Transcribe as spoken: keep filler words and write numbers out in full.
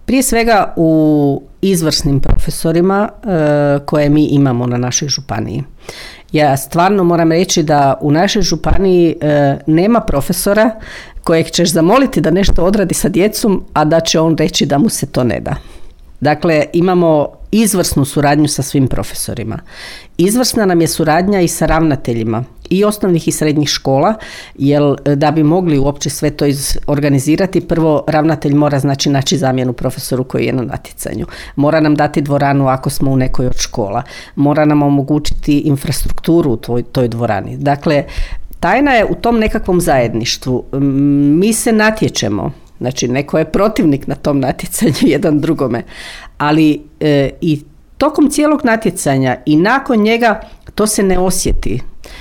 Prije svega u izvrsnim profesorima e, koje mi imamo na našoj županiji. Ja stvarno moram reći da u našoj županiji e, nema profesora kojeg ćeš zamoliti da nešto odradi sa djecom, a da će on reći da mu se to ne da. Dakle, imamo izvrsnu suradnju sa svim profesorima. Izvrsna nam je suradnja i sa ravnateljima i osnovnih i srednjih škola, jer da bi mogli uopće sve to organizirati, prvo ravnatelj mora znači naći zamjenu profesoru koji je na natjecanju. Mora nam dati dvoranu ako smo u nekoj od škola. Mora nam omogućiti infrastrukturu u toj, toj dvorani. Dakle, tajna je u tom nekakvom zajedništvu. Mi se natječemo. Znači, neko je protivnik na tom natjecanju jedan drugome, ali e, i tokom cijelog natjecanja i nakon njega to se ne osjeti.